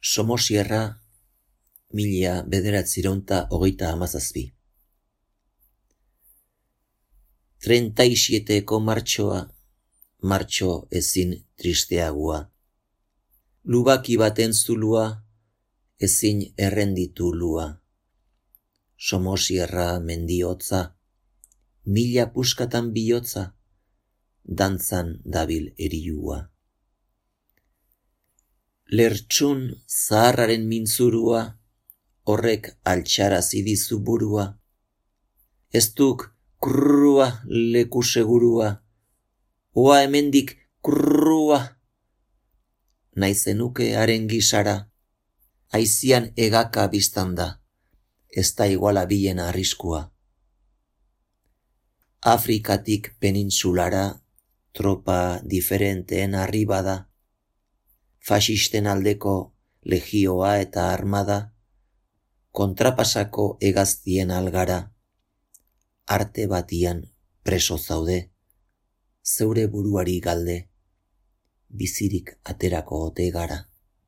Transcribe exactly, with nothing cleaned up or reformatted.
Somosierra, mila bederatzireunta hogeita hamazazpi. Treinta y sieteko martxoa, martxo ezin tristeagua. Lubaki baten zulua, ezin errenditu lua. Somosierra mendiotza, mila puskatan bihotza, dantzan dabil eriua. Lertxun zaharraren mintzurua, horrek altxarazi dizu burua. Ez duk kurrua leku segurua, oa hemendik kurrua. Naizenuke haren gisara, aizian egaka biztanda, ez da iguala bilen arriskua. Afrikatik penintsulara, tropa diferenteen arribada, fasisten aldeko legioa eta armada, kontrapasako hegaztien algara, arte batian preso zaude, zeure buruari galde, bizirik aterako ote gara.